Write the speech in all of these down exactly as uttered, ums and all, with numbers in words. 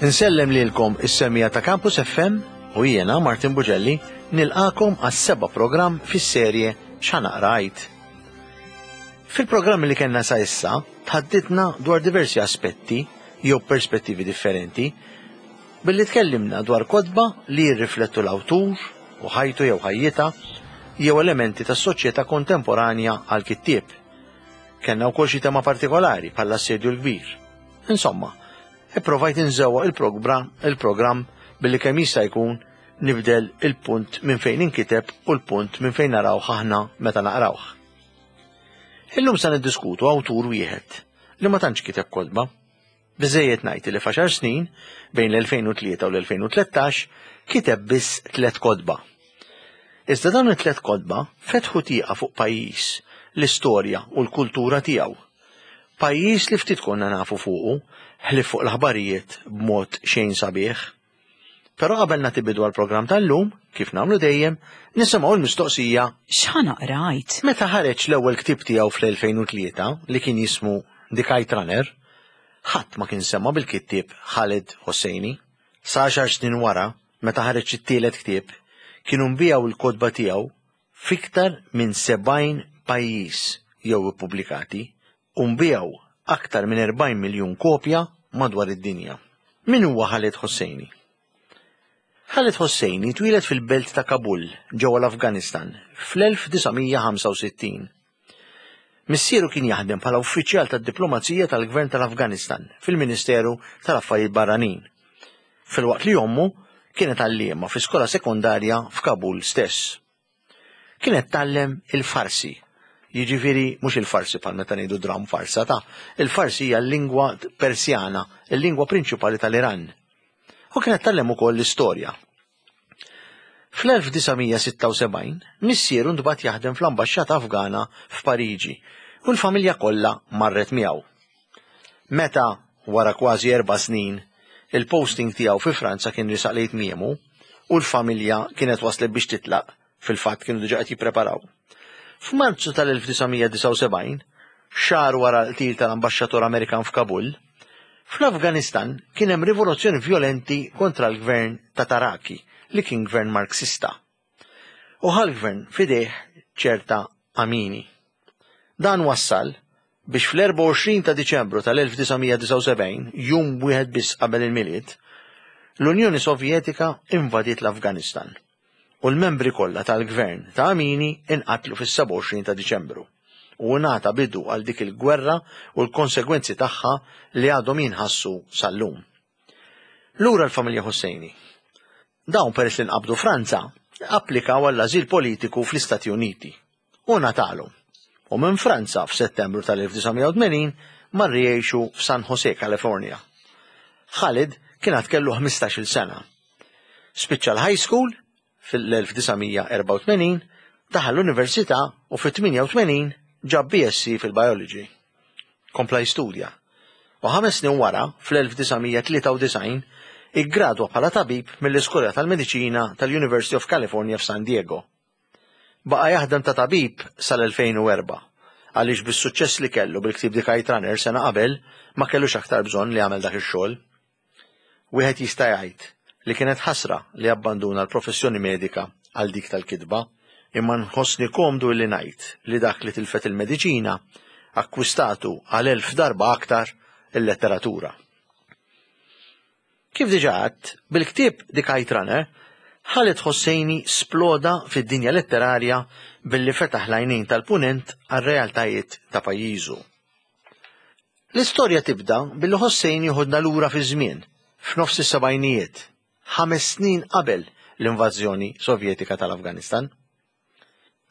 Insellem lilkom is-semmiegħa ta' Campus F M u jiena Martin Bugelli nilqagħkom għas-seba' programm fis-serje X'Ħa Naqra Għid. Fil-programmi li kellna sa issa tħadditna dwar diversi aspetti jew perspettivi differenti billi tkellimna dwar kotba li jirriflettu l-awtur u ħajtu jew ħajjitha jew elementi tas-soċjetà kontemporanja għal kittieb. Kellna wkoll xi tema partikolari bħall-Assedju l-Kbir. Insomma, ipprovajt inżewwaq il-programm il-programm billi kemm jista' jkun nibdel il-punt minn fejn inkiteb u l-punt minn fejn narawh aħna meta naqrawh. Illum sa niddiskutu awtur wieħed li ma tantx kiteb kotba. Biżejjed ngħid li f'għaxar snin, bejn l-elfejn u tlieta u l-elfejn u tlettax, kiteb biss tliet kotba. Iżda dawn it-tliet kotba fetħu tieqa fuq pajjiż, l-istorja u l-kultura tiegħu. Pajjiż li ftit konna nafu fuqu, ħlief fuq l-aħbarijiet b'mod xejn sabiħ. Però qabel nagħti bidu għall-programm tal-lum, kif nagħmlu dejjem, nisimgħu l-mistoqsija X'Ħa Naqra Għid? Meta ħareġ l-ewwel ktieb tiegħu fl-elfejn u tlieta li kien jismu The Kite Runner, ħadd ma kien sema' bil-kittieb Khaled Hosseini. Sa għaxar snin wara, meta ħareġ it-tielet ktieb, kienu nbiegħu il-kotba tiegħu fiktar minn sebgħin pajjiż jew ippubblikati u nbiegħu aktar minn erbgħin miljun kopja madwar id-dinja. Min huwa Khaled Hosseini? Khaled Hosseini twieled fil-belt ta' Kabul ġewwa l-Afganistan fl-elf disa' mija ħamsa u sittin. Missieru kien jaħdem bħala uffiċjal tad-diplomazija tal-Gvern tal-Afganistan fil-Ministeru tal-Affarijiet Barranin. Filwaqt li ommu kienet għalliema fi skola sekondarja f'Kabul stess. Kienet tgħallem il-Farsi, jiġifieri mhux il-farsi bħal meta ngħidu dram farsa ta' il-Farsi hija l-lingwa Persjana, il-lingwa prinċipali tal-Iran. U kienet tgħallem ukoll l-istorja. Fl-elf disa' mija sitta u sebgħin missieru ntbagħat jaħdem fl-ambaxxata Afgana f'Pariġi u l-familja kollha marret miegħu. Meta, wara kważi erba' snin, il-posting tiegħu fi Franza kien risaq lejn tmiemu u l-familja kienet waslet biex titlaq, fil-fatt kienu diġà qed jippreparaw. F'Marzu tal-elf disa' mija disgħa u sebgħin, xahar wara l-qtil tal-ambaxxatur Amerikan f'Kabul, fl-Afganistan kien hemm rivoluzzjoni violenti kontra l-gvern ta' Taraki, li kien gvern Marxista. U ħa l-gvern f'idejh ċerta Amini. Dan wassal biex fl-erbgħa u għoxrin ta' Diċembru tal-elf disa' mija disgħa u sebgħin, jum wieħed biss qabel il-Milied, l-Unjoni Sovjetika invadiet l-Afganistan u l-membri kollha tal-gvern ta' Amini inqatlu fis-sebgħa u għoxrin ta' Diċembru u ngħata bidu għal dik il-gwerra u l-konsegwenzi tagħha li għadhom jinħassu sal-lum. Lura l-familja Hosseini. Dawn, peress li nqabdu Franza, applikaw għall-ażil politiku fl-Istati Uniti u ngħatalhom. U minn Franza f'Settembru tal-elf disa' mija tmenin marru jgħixu f'San Jose, California. Khalid kien għad kellu ħmistax-il sena. Spiċċa l-high school fil-elf disa' mija erbgħa u tmenin, daħal l-università u fit-tmienja u tmenin ġab B S C fil-biology. Kompla jistudja. U ħames snin wara, fl-elf disa' mija tlieta u disgħin, iggradwa bħala tabib mill-Iskola tal-Mediċina tal-University of California f'San Diego. Baqa jaħdem ta' tabib sal-elfejn u erbgħa, għaliex bis-suċċess li kellu bil-ktib The Kite Runner sena qabel ma kellux aktar bżonn li jagħmel dak ix-xogħol. Wieħed jista' jgħid li kienet ħasra li abbanduna l-professjoni medika għal dik tal-kitba, imma nħossni komdu li ngħid li dak li tilfet il-mediċina akkwistatu għal elf darba aktar il-letteratura. Kif diġà għedt, bil-ktieb The Kite Runner, Khaled Hosseini sploda fid-dinja letterarja billi fetaħ l-għajnejn tal-punent għal realtajiet ta' pajjiżu. L-istorja tibda billi Hosseini joħodna lura fi żmien, f'nofs is-sebgħinijiet, ħames snin qabel l-invażjoni Sovjetika tal-Afganistan.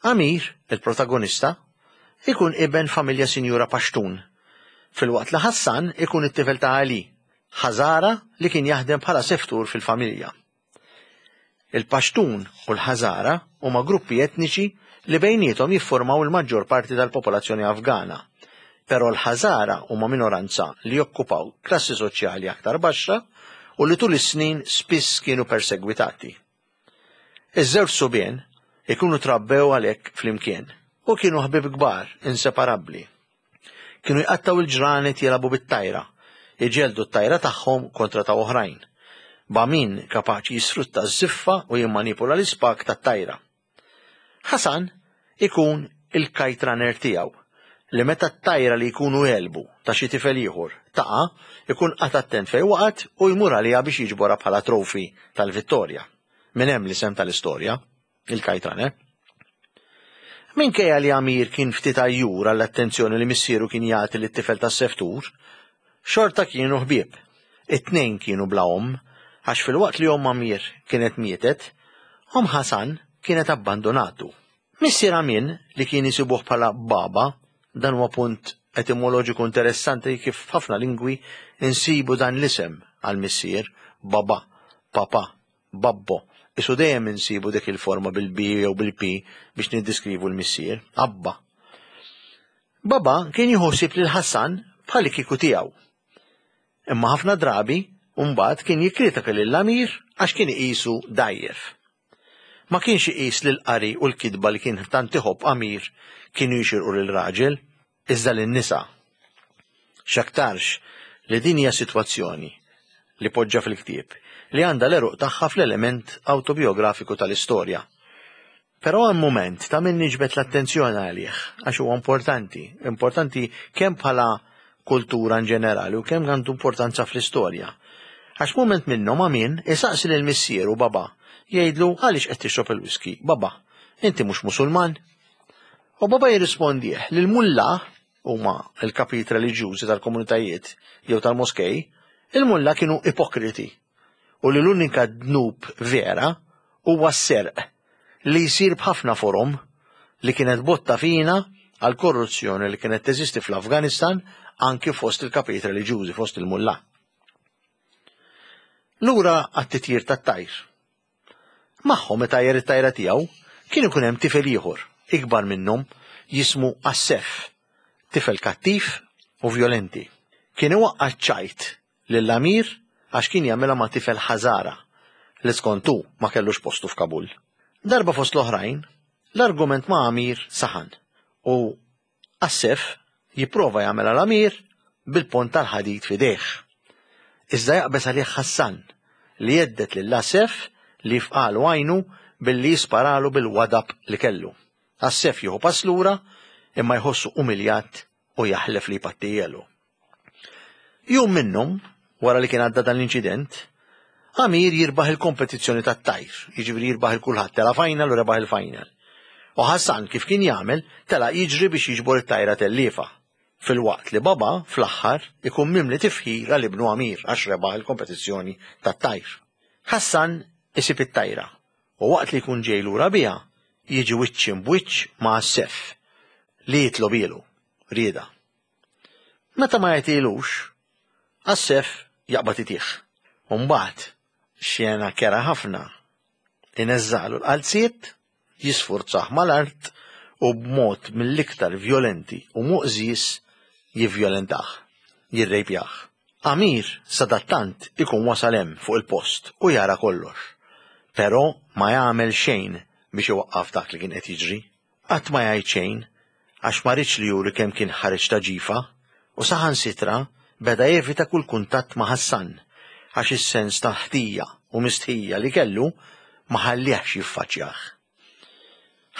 Amir, il-protagonista, ikun iben familja sinjura Pashtun, filwaqt li Hassan ikun it-tifel ta' Ali, Ħażara li kien jaħdem bħala seftur fil-familja. Il-Pashtun u l-Ħażara huma gruppi etniċi li bejniethom jiffurmaw il-maġġor parti tal-popolazzjoni Afgana. Però l-Ħażara huma minoranza li jokkupaw klassi soċjali aktar baxxa u li tul is-snin spiss kienu persegwitati. Iż-żewġ subien ikunu trabbew għalhekk flimkien u kienu ħbib kbar, inseparabbli. Kienu jqattaw il-ġranet jilagħbu bit-tajra, iġelldu t-tajra tagħhom kontra ta' oħrajn, b'Amin kapaċi jisfrutta ż-żiffa u jimmanipula l-ispak tat-tajra. Ħasan ikun il-kite runner tiegħu li meta t-tajra li jkunu għelbu ta' xi tifel ieħor taqa' ikun qagħad attent fejn waqgħet u jmur għaliha biex jiġborha bħala trophy tal-vittorja. Minn hemm l-isem tal-istorja, il-kite runner. Minkejja li Amir kien ftit għajjur għall-attenzjoni li missieru kien jagħti lit-tifel tas-seftur, xorta kienu ħbieb. It-tnejn kienu bla omm, għax filwaqt li omm Amir kienet mietet, omm Ħasan kienet abbandonatu. Missier Amin, li kien isibuh bħala Baba, dan huwa punt etimoloġiku interessanti kif f'ħafna lingwi insibu dan l-isem għal missier, Baba, Papa, Babbo. Isu dejjem insibu dik il-forma bil-B jew bil-P biex niddiskrivu l-missier, Abba. Baba kien jieħu ħsieb lil Ħassan bħal kieku tiegħu. Imma ħafna drabi mbagħad kien jikkritika lil Amir għax kien iqisu dgħajjef. Ma kienx iqis li l-qari u l-kitba li kien tant iħobb Amir kienu jixirqu lil raġel, iżda lin-nisa. X'aktarx li din hija sitwazzjoni li poġġa fil-ktieb li għandha l-għeruq tagħha fl-element awtobiografiku tal-istorja. Però hemm mument ta' min niġbed l-attenzjoni għalih għax huwa importanti, importanti kemm bħala kultura in ġenerali u kemm għandu importanza fl-istorja. Għax mument minnhom Amin isaqsi lil missieru Baba, jgħidlu għaliex qed tixrob il-whisky. Baba, inti mhux Musulman? U Baba jirrispondih li l-mulla huma l-kapijiet reliġjużi tal-komunitajiet jew tal-moskej, il-mulla kienu ipokriti u li l-unika dnub vera huwa s-serq li jsir b'ħafna forom li kienet botta fina għal korruzzjoni li kienet teżisti fl-Afganistan anki fost il-kapijiet reliġjużi, fost il-mulla. Lura għat-titjir tat-tajr. Magħhom meta tajjar it-tajra tiegħu kien ikun hemm tifel ieħor, ikbar minnhom, jismu Assef, tifel kattiv u vjolenti. Kien iwaqqa' ċ-ċajt lil Amir għax kien jagħmilha ma' tifel Ħażara li skont hu ma kellux postu f'Kabul. Darba fost l-oħrajn, l-argument ma' Amir saħan u Assef jipprova jagħmel għal Amir bil-pont tal-ħadid f'idejh. Iżda jaqbeż għalih Ħassan li jhedded lil Assef li jifqalu għajnu billi jisparalu bil-wadab li kellu. Assef jieħu pass lura imma jħossu umiljat u jaħlef li jpattijielu. Jum minnhom, wara li kien għadda dan l-inċident, Amir jirbaħ il-kompetizzjoni tat-tajr, jiġifieri jirbaħ il kulħadd, tela' final u rebaħ il-final. U Ħassan kif kien jagħmel, tela' jiġri biex jiġbor it-tajra telliefa. Filwaqt li Baba fl-aħħar ikun mimli tifħir għal ibnu Amir għax rebaħ il-kompetizzjoni tat-tajr. Ħassan isib it-tajra u waqt li jkun ġej lura biha jiġi wiċċ imbwiċċ ma' Assef li jitlobilu rieda. Meta ma jagħtilux, Assef jaqbad itih. U mbagħad xena kera ħafna ineżżalu l-qalziet, jisfurzah mal-art u b'mod mill-iktar vjolenti u muqżis jivvjolentah, jirrejpjah. Amir sadattant ikun wasal hemm fuq il-post u jara kollox, però ma jagħmel xejn biex iwaqqaf dak li kien qed jiġri. Qatt ma jgħid xejn għax ma riedx li juri kemm kien ħareġ ta' ġifa u saħansitra beda jevita kull kuntatt ma' Ħassan għax is-sens ta' ħtija u mistħija li kellu ma ħallihx jiffaċċjah.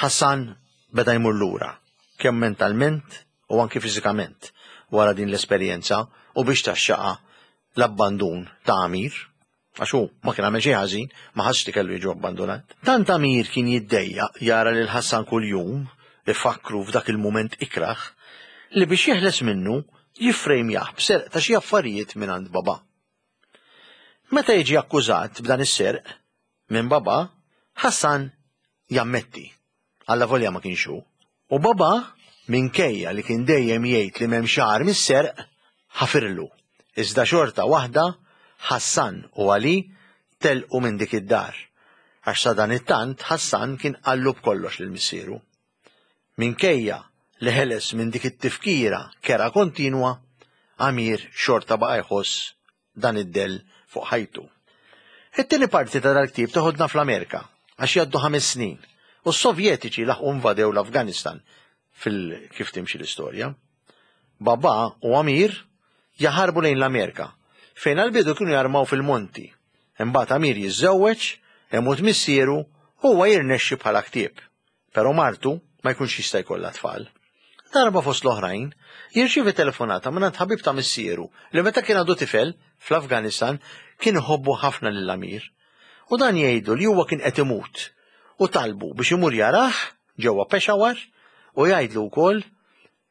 Ħassan beda jmur lura, kemm mentalment u anki fiżikament wara din l-esperjenza u biex taxxaqa l-abbandun ta' Amir, għax hu ma kien għamel xejn ħażin, ma ħassx li kellu jiġu abbandunat. Tant Amir kien jiddejjaq jara lil Ħassan kuljum ifakkru f'dak il-mument ikrah li biex jeħles minnu jiffrejmjah b'serq ta' xi affarijiet minn għand Baba. Meta jiġi akkużat b'dan is-serq minn Baba, Ħassan jammetti. Allavolja ma kienx hu. U Baba, minkejja li kien dejjem jgħid li m'hemm xagħar mis-serq, ħafirlu. Iżda xorta waħda, Ħassan u Ali telqu minn dik id-dar. Għax sadanittant Ħassan kien qallu b'kollox lil missieru. Minkejja li ħeles minn dik it-tifkira kera kontinwa, Amir xorta baqa' jħoss dan id-dell fuq ħajtu. It-tieni parti ta' dal-ktieb toħodna fl-Amerika għax jgħaddu ħames snin u s-Sovjetiċi laħqu invadew l-Afganistan fil kif timxi l-istorja. Baba u Amir jaħarbu lejn l-Amerika fejn għall-bidu kienu jarmaw fil-monti. Imbagħad Amir jiżżewweġ, imut missieru, huwa jirnexxi bħala ktieb. Però martu ma jkunx jista' jkollha tfal. Darba fost l-oħrajn, jirċievi telefonata minn ħabib ta' missieru li meta kien għadu tifel fl-Afganistan kien iħobbu ħafna lil Amir. U dan jgħidu li huwa kien qed imut u talbu biex imur jarah ġewwa Peshawar u jgħidlu wkoll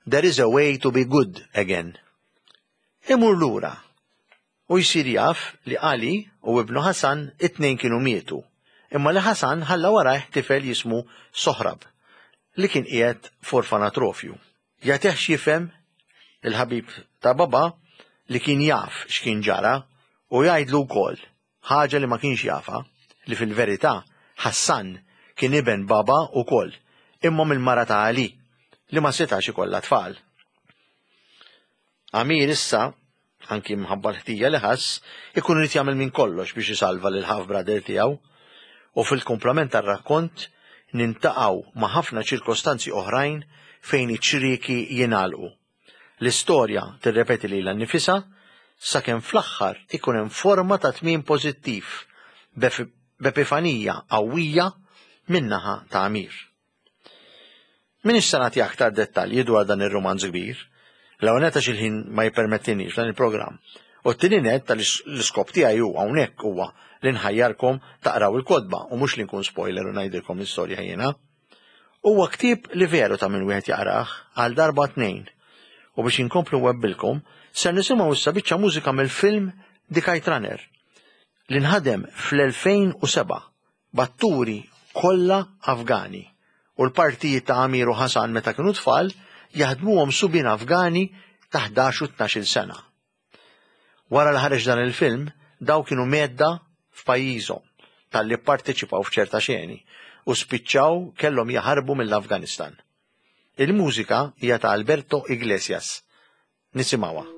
"There is a way to be good again." Imur lura u jsir jaf li Ali u ibnu Hassan it-tnejn kienu mietu, imma li Hassan ħalla warajh tifel jismu Sohrab li kien qiegħed f'orfanatrofju. Jagħtih x'jifhem il-ħabib ta' baba li kien jaf x'kien ġara u jgħidlu wkoll ħaġa li ma kienx jafa, li fil-verità Hassan kien iben baba wkoll, imma mill-mara ta' Ali li ma setax ikollha tfal. Amir issa, anki mħabba l-ħtija li ħass, ikun irid jagħmel minn kollox biex isalva lil half brother tiegħu, u fil-kumplament tar-rakkont nintaqgħu ma' ħafna ċirkostanzi oħrajn fejn iċ-ċrieki jingħalqu. L-istorja tirrepeti lilha nnifisha sakemm fl-aħħar ikun hemm forma ta' tmiem pożittiv b'epifanija qawwija min-naħa ta' Amir. M'iniex se nagħti aktar dettalji dwar dan ir-rumanz kbir, l-ewwel nett għax il-ħin ma jippermettinix dan il-programm. U t-tieni nett tal-iskop tiegħi hu hawnhekk huwa li nħajjarkom taqraw il-kotba u mhux li nkun spoiler u ngħidilkom l-istorja jiena. Huwa ktieb li veru ta' min wieħed jaqrah għal darba tnejn. U biex inkomplu webbilkom, ser nisimgħu issa biċċa mużika mill-film The Kite Runner li nħadem fl-elfejn u seba' b'atturi kollha Afgani u l-partijiet ta' Amir u Hassan meta kienu tfal jaħdmuhom subien Afgani ta' ħdax u tnax-il sena. Wara li ħareġ dan il-film, daw kienu medda f'pajjiżhom talli pparteċipaw f'ċerta xeni u spiċċaw kellhom jaħarbu mill-Afganistan. Il-mużika hija ta' Alberto Iglesias. Nisimgħuha.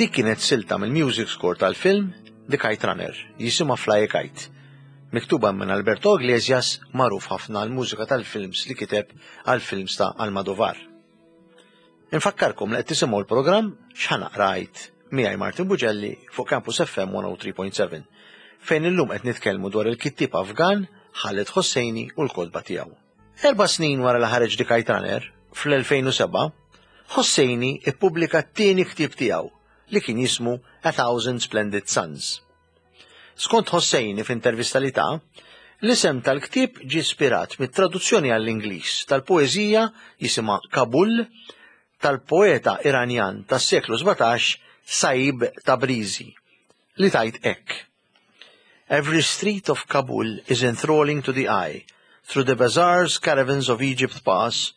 Dik kienet silta mill-music score tal-film The Kite Runner, jisimha Fly a Kite, miktuba minn Alberto Iglesias, magħruf ħafna għall-mużika tal-films li kiteb għall-films ta' Almodovar. Infakkarkom li qed tisimgħu l-programm X'Ħa Naqra Għid miegħi Martin Bugelli fuq Campus F M one oh three point seven, fejn illum qed nitkellmu dwar il-kittieb Afgan Khaled Hosseini u l-kotba tiegħu. Erba' snin wara li ħareġ The Kite Runner, fl-elfejn u seba', Hosseini ippubblika t-tieni ktieb tiegħu li kien jismu A Thousand Splendid Suns. Skont Hosseini f'intervista li ta, l-isem tal-ktieb ġie ispirat mit-traduzzjoni għall-Ingliż tal-poeżija jisimha Kabul tal-poeta Iranjan tas-seklu sbatax Saib Tabrizi li tajt hekk. Every street of Kabul is enthralling to the eye. Through the bazaars, caravans of Egypt pass.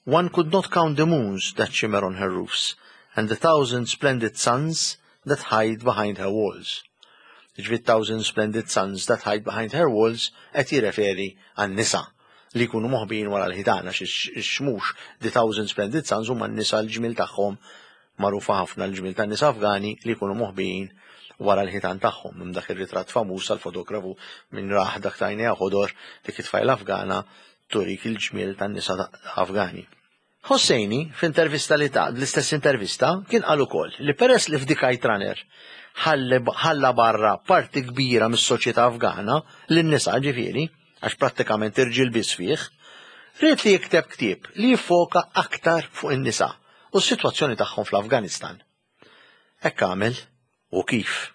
One could not count the moons that shimmer on her roofs and the thousand splendid suns that hide behind her walls. Ġifieri thousand splendid suns that hide behind her walls qed jirreferi għan-nisa li jkunu moħbin wara l-ħitan għax ix-xmux the thousand splendid suns huma n-nisa l-ġmiel tagħhom magħrufa ħafna l-ġmiel tan-nisa Afgani li jkunu moħbin wara l-ħitan tagħhom. Minn dak ir-ritratt famuż tal-fotografu minn raħ dak tajnejha ħodor dik it-tfajla Afgana turik il-ġmiel tan-nisa Afgani. Hosseini, f'intervista li ta' l-istess intervista, kien qal ukoll li peress li f'The Kite Runner ħalla barra parti kbira mis-soċjetà Afgana, lin-nisa ġifieri, għax prattikament irġiel biss fih, ried li jikteb ktieb li jiffoka aktar fuq in-nisa u s-sitwazzjoni tagħhom fl-Afganistan. Hekk għamel u kif.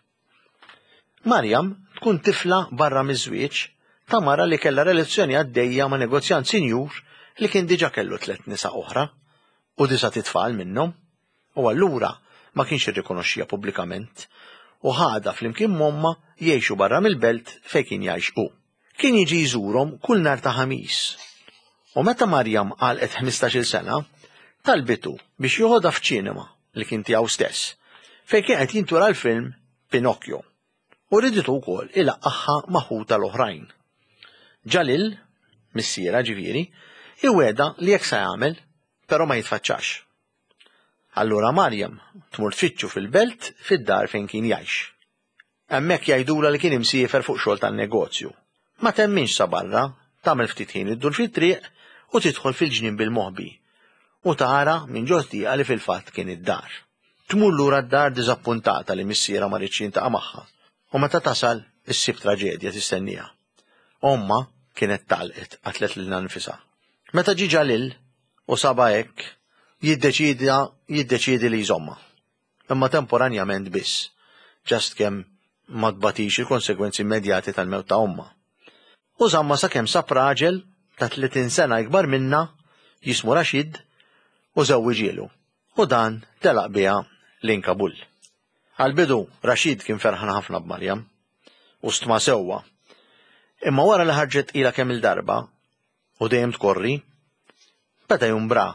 Mariam tkun tifla barra miż-żwieġ ta' mara li kellha relazzjoni għaddejja ma' negozjant sinjur li kien diġà kellu tliet nisa oħra u disa' titfal minnhom, u allura ma kienx irrikonoxxiha pubblikament u ħadha flimkien m'ommha jgħixu barra mill-belt fejn kien jgħix hu. Kien jiġi jżurhom kull nhar ta' Ħamis. U meta Marjam għalqet ħmistax-il sena, talbitu biex joħodha f'ċinema li kien tiegħu stess, fejn kien qed jintura l-film Pinocchio, u riditu wkoll ilaqqagħha ma' ħutha l-oħrajn. Ġalil, missierha ġifieri, iwegħda li hekk se jagħmel, però ma jitfaċċax. Allura Marjam tmur tfittxu fil-belt fid-dar fejn kien jgħix. Hemmhekk jgħidulha li kien imsiefer fuq xogħol tan-negozju. Ma temminx sa barra, tagħmel ftit ħin iddur fit-triq u tidħol fil-ġnien bil-moħbi u tara minn ġo tieqa li fil-fatt kien id-dar. Tmur lura d-dar diżappuntata li missierha ma riedx jiltaqa' magħha u meta tasal issib traġedja tistenniha. Ommha kienet talqet qatlet lilha nfisha. Meta ġie Ġalil u sabha hekk, jiddeċida jiddeċiedi li jżommha. Imma temporanjament biss, just kemm ma tbatix il-konsegwenzi immedjati tal-mewt ta' ommha. U żammha sakemm sab raġel ta' tletin sena ikbar minnha jismu Rashid u żewwiġielu. U dan telaq biha lejn Kabul. Għall-bidu Rashid kien ferħan ħafna b'Marjam u stma sewwa. Imma wara li ħarġet tqila kemm il-darba u dejjem tkorri, beda jumbra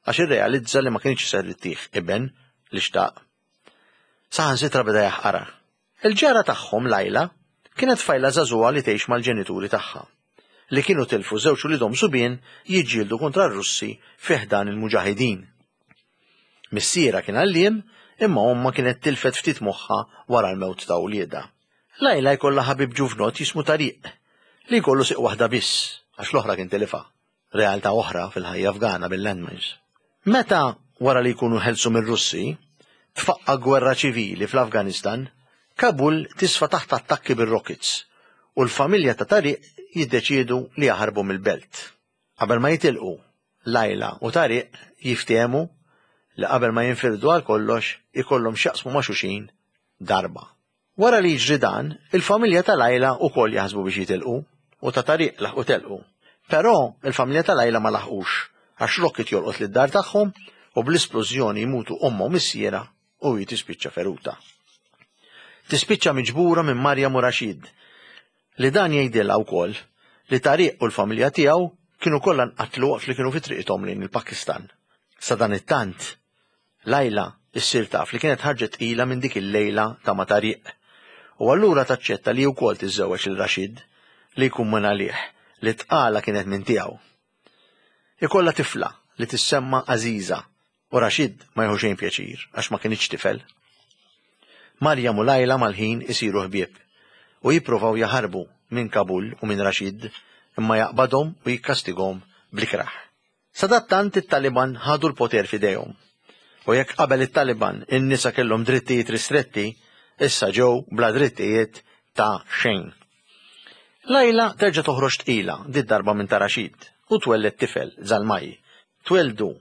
għax irrealizza li ma kienx ser ittih iben li xtaq. Saħansitra beda jaħqarha. Il-ġara tagħhom Lajla kienet tfajla żagħżugħa li tgħix mal-ġenituri tagħha, li kienu tilfu żewġ uliedhom subien jiġġieldu kontra r-Russi fi ħdan il-Muġahidin. Missierha kien għalliem, imma ommha kienet tilfet ftit moħħha wara l-mewt ta' uliedha. Lajla jkollha ħabib ġuvnott jismu Tariq, li jkollu siq waħda biss, għax l-oħra kien tilifha. Realtà oħra fil-ħajja Afgana bil-landmines. Meta, wara li jkunu ħelsu mir-Russi, tfaqqa' gwerra ċivili fl-Afganistan, Kabul tisfa' taħt attakki bir-rockets u l-familja ta' Tariq jiddeċiedu li jaħarbu mill-belt. Qabel ma jitilqu, Lajla u Tariq jiftehmu li qabel ma jinfirdu għal kollox ikollhom x'jaqsmu ma' xulxin darba. Wara li jiġri dan, il-familja ta' Lajla wkoll jaħsbu biex jitilqu u ta' Tariq laħqu telqu. Però il-familja ta' Lajla ma laħqux għax rocket jolqot lid-dar tagħhom u bl-isplużjoni jmutu ommha u missierha u hi tispiċċa feruta. Tispiċċa miġbura minn Marjam u Rashid, li dan jgħidilha wkoll li Tariq u l-familja tiegħu kienu kollha nqatlu waqt li kienu fi triqithom lejn il-Pakistan. Sadanittant, Lajla issir taf li kienet ħarġet tqila minn dik il-lejla ta' ma' Tariq u allura taċċetta li wkoll tiżżewweġ lil Rashid li jkun minn għalih li tqala kienet minn tiegħu. Ikollha tifla li tissemma Aziza u Rashid ma jieħu xejn pjaċir għax ma kinitx tifel. Marjam u Lajla mal-ħin isiru ħbieb u jippruvaw jaħarbu minn Kabul u minn Rashid imma jaqbadhom u jikkastigahom bl-ikrah. Sadattant it-Taliban ħadu l-poter f'idejhom. U jekk qabel it-Taliban in-nisa kellhom drittijiet ristretti, issa ġew bla drittijiet ta' xejn. Lajla terġa' toħroġ tqila did-darba minn ta' Rashid u twelled tifel Zalmaj. Tweldu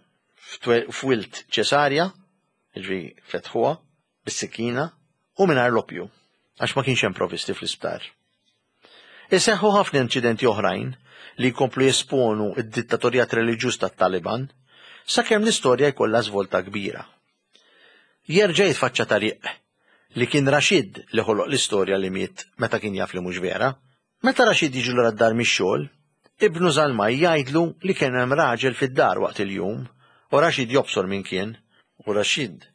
f'wild ċesarja, jiġifieri fetħuha bis-sikkina u mingħajr l-oppju, għax ma kienx hemm provvisti fl-isptar. Iseħħu ħafna inċidenti oħrajn li jkomplu jesponu id-dittatorjat reliġjuż tat-Taliban sakemm l-istorja jkollha żvolta kbira. Jerġa' jitfaċċa Tariq li kien Rashid li ħoloq l-istorja li miet meta kien jaf li mhux vera. Meta Rashid jiġi lura d-dar mix-xogħol, ibnu Zalmaj jgħidlu li kien hemm raġel fid-dar waqt il-jum u Rashid jobsor min kien u Rashid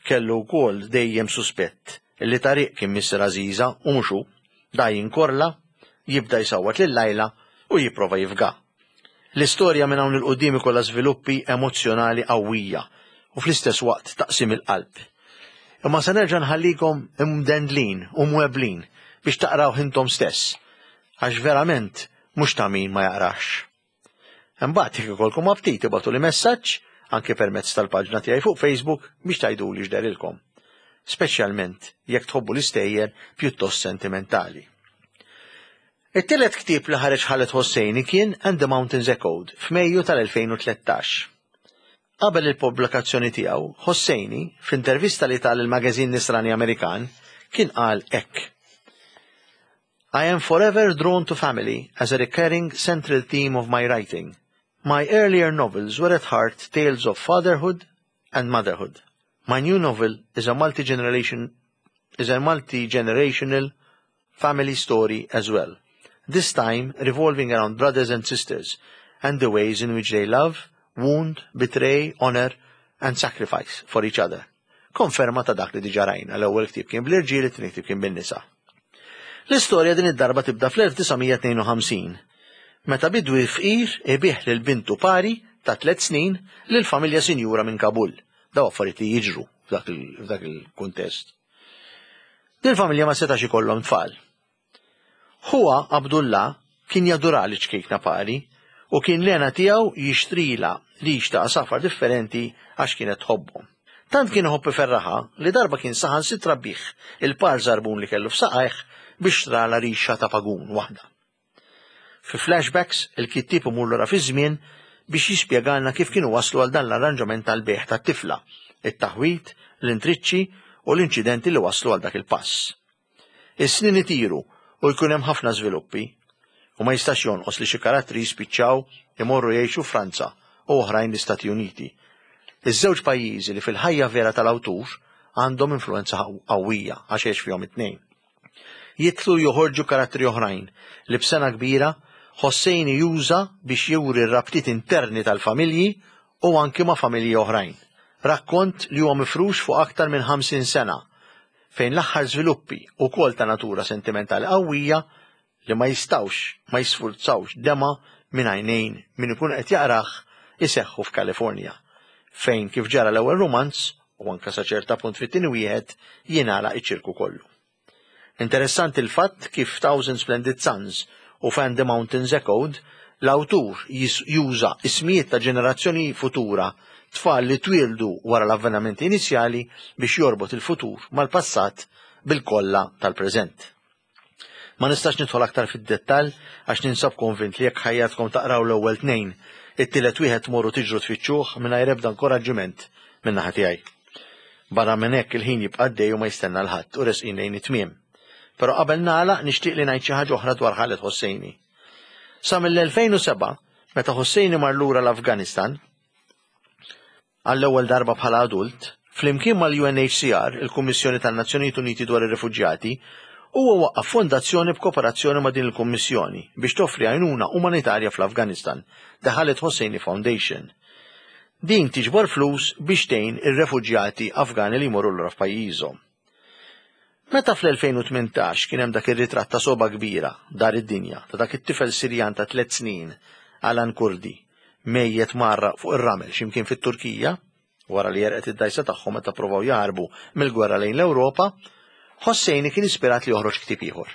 kellu wkoll dejjem suspett li Tariq kien missier Aziza u mhux hu. Da jinkorla, jibda jsawwat lil Lajla u jipprova jifga. L-istorja minn hawn il-qudiem ikollha żviluppi emozzjonali qawwija u fl-istess waqt taqsim il-qalb. Imma se nerġa' nħallikom imdendlin u mweblin biex taqraw intom stess, għax verament mhux ta' min ma jaqrax. Imbagħad jekk ikolkom aptit ibagħtuli messaġġ anke permezz tal-paġna tiegħi fuq Facebook biex tgħiduli x'derilkom. Speċjalment jekk tħobbu l-istejjer pjuttost sentimentali. It-tielet ktieb li ħareġ Khaled Hosseini kien And the Mountains Echoed f'Mejju tal-elfejn u tlettax. Qabel il-pubblikazzjoni tiegħu, Hosseini, f'intervista li ta lil magazin Nisrani Amerikan, kien qal hekk. I am forever drawn to family as a recurring central theme of my writing. My earlier novels were at heart tales of fatherhood and motherhood. My new novel is a multi-generation is a multi-generational family story as well. This time revolving around brothers and sisters and the ways in which they love, wound, betray, honor and sacrifice for each other. Konferma ta' dak li diġa rajna, l-ewwel ktieb kien bl-irġiel, it-tieni ktieb kien bin-nisa. L-istorja din id-darba tibda fl-elf disa' mija tnejn u ħamsin, meta bidwi fqir ibigħ lil bintu Pari ta' tliet snin lil familja sinjura minn Kabul. Daw affarijiet li jiġru f'dak il-kuntest. Din familja ma setax ikollhom tfal. Huwa Abdullah kien jadura liċ-ċkejkna Pari u kien l-hena tiegħu jixtrila rix ta' għasafar differenti għax kienet tħobbhom. Tant kien iħobb iferraħha li darba kien saħansitra biegħ il-par żarbun li kellu f'saqajh biex xtrala rixa ta' pagun waħda. Fi flashbacks, il-kittieb imur lura fi żmien biex jispjegalna kif kienu waslu għal dan l-arranġament tal-bejgħ tat-tifla, it-taħwit, l-intriċċi u l-inċidenti li waslu għal dak il-pass. Is-snin itiru u jkun hemm ħafna żviluppi u ma jistax jonqos li xi karattri jispiċċaw imorru jgħixu Franza u oħrajn l-Istati Uniti. Iż-żewġ pajjiżi li fil-ħajja vera tal-awtur għandhom influenza qawwija għax għex fihom it-tnejn. Jidħlu joħorġu karattri oħrajn li b'sengħa kbira Hosseini juża biex juri r-rabtiet interni tal-familji u anki ma' familji oħrajn. Rakkont li huwa mifrux fuq aktar minn ħamsin sena fejn l-aħħar żviluppi ukoll ta' natura sentimentali qawwija li ma jistawx ma jisfurzawx dema minn għajnejn min ikun qed jaqrah iseħħu f'Kalifornja, fejn kif ġara l-ewwel romanz u anka sa ċerta punt fit-tieni wieħed jingħalaq iċ-ċirku kollu. Interessanti l-fatt kif Thousand Splendid Suns u And the Mountains Echoed l-awtur juża ismijiet ta' ġenerazzjoni futura, tfal li twildu wara l-avvenimenti inizjali, biex jorbot il-futur mal-passat bil-kolla tal-preżent. Ma nistax nidħol aktar fid-dettall għax ninsab konvint li jekk ħajjatkom taqraw l-ewwel tnejn, it-tielet wieħed tmorru tiġru tfittxuh mingħajr ebda inkoraġġiment minn naħa tiegħi. Barra minn hekk il-ħin jibqa' għaddej u ma jistenna 'l ħadd u resqin lejn it-tmiem. Però qabel nagħlaq nixtieq li ngħid xi ħaġa oħra dwar Khaled Hosseini. Sa mill-elfejn u sebgħa, meta Hosseini mar lura l-Afganistan, għall-ewwel darba bħala adult, flimkien mal-U N H C R, il-Kummissjoni tan-Nazzjonijiet Uniti dwar ir-Refuġjati, huwa waqqaf fondazzjoni b'kooperazzjoni ma' din il-Kummissjoni biex toffri għajnuna umanitarja fl-Afganistan, The Khaled Hosseini Foundation. Din tiġbor flus biex tgħin ir-refuġjati Afgani li jmorru lura f'pajjiżhom. Meta fl-elfejn u tmintax kien hemm dak ir-ritratt ta' sogħba kbira dar id-dinja ta' dak it-tifel Sirjan ta' tliet snin, Alan Kurdi, mejjet mgħarraq fuq ir-ramel x'imkien fit-Turkija, wara li għerqet id-dajsa tagħhom meta provaw jaħarbu mill-gwerra lejn l-Ewropa, Hosseini kien ispirat li joħroġ ktieb ieħor.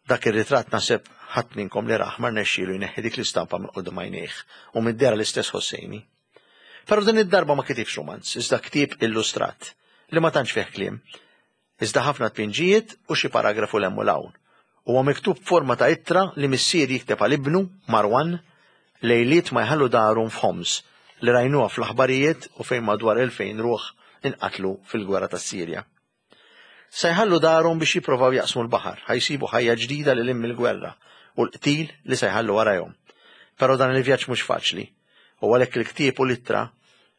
Dak ir-ritratt naħseb ħadd minnkom li rah ma rnexxielu jneħħi dik l-istampa minn quddiem għajnejh u mid-dehra l-istess Hosseini. Però din id-darba ma kitibx romanz, iżda ktieb illustrat li ma tantx fih kliem, iżda ħafna tpinġijiet u xi paragrafu 'l hemm u 'l hawn. Huwa miktub forma ta' ittra li missier jikteb għal ibnu Marwan lejliet ma jħallu darhom f'Homs li rajnuha fl-aħbarijiet u fejn madwar elfejn ruħ inqatlu fil-gwerra tas-Sirja. Se jħallu darhom biex jipprovaw jaqsmu l-baħar, ħa jsibu ħajja ġdida lil hinn mill-gwerra u l-qtil li se jħallu warajhom. Però dan il-vjaġġ mhux faċli, u għalhekk il-ktieb u l-ittra,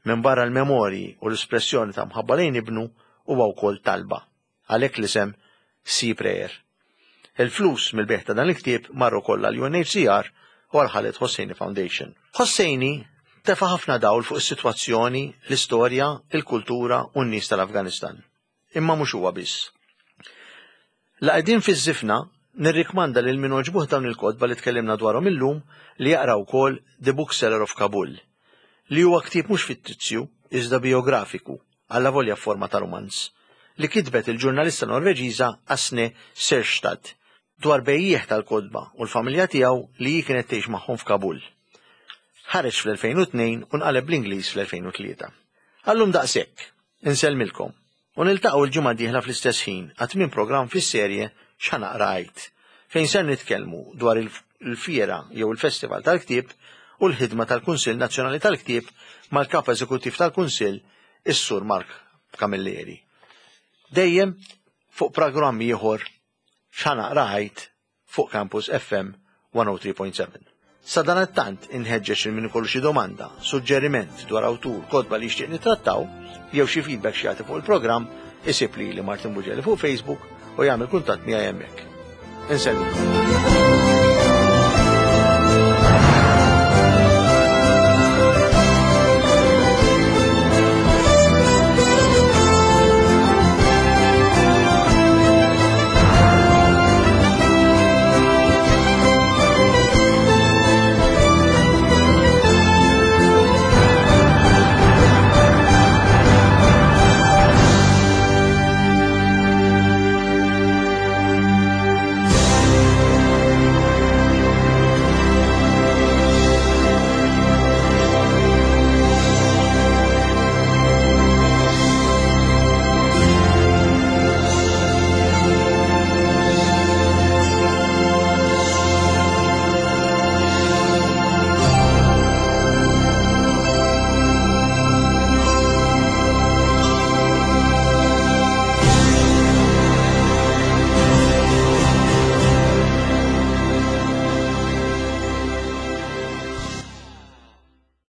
minn barra l-memorji u l-espressjoni ta' mħabba lejn ibnu, huwa wkoll talba. Għalhekk l-isem Sea Prayer. Il-flus mill-bejgħ ta' dan il-ktieb marru kollha l-U N H C R u għal Khaled Hosseini Foundation. Hosseini tefa' ħafna dawl fuq is-sitwazzjoni, l-istorja, il-kultura u n-nies tal-Afganistan. Imma mhux huwa biss. La qegħdin fiż-żifna, nirrikmanda lil min għoġbuh dawn il-kotba li tkellimna dwarhom illum li jaqra wkoll The Bookseller of Kabul, li huwa ktieb mhux fittizju iżda biografiku, allavolja forma ta' romanz, li kitbet il-ġurnalista Norveġiża Åsne Seierstad dwar bejjiegħ tal-kotba u l-familja tiegħu li hi kienet tgħix magħhom f'Kabul. Ħareġ fl-elfejn u tnejn u nqaleb bl-Ingliż fl-elfejn u tlieta. Għal-lum daqshekk, insellmilkom u niltaqgħu l-ġimgħa dieħla fl-istess ħin għat-tmien programm fis-serje X'Ħa Naqra Għid, fejn ser nitkellmu dwar il-fiera jew il-Festival tal-Ktieb u l-ħidma tal-Kunsill Nazzjonali tal-Ktieb mal-Kap Eżekuttiv tal-Kunsill, is-Sur Mark Camilleri. Dejjem fuq programmi ieħor. X'Ħa Naqra Għid fuq Campus F M one oh three point seven. Sadanittant inħeġġeġ lil min ikollu xi domanda, suġġeriment dwar awtur, kotba li jixtieq nitrattaw, jew xi feedback xi jagħti fuq il-programm, isib lili Martin Bugelli fuq Facebook u jagħmel kuntatt miegħi hemmhekk. Insellmilkom.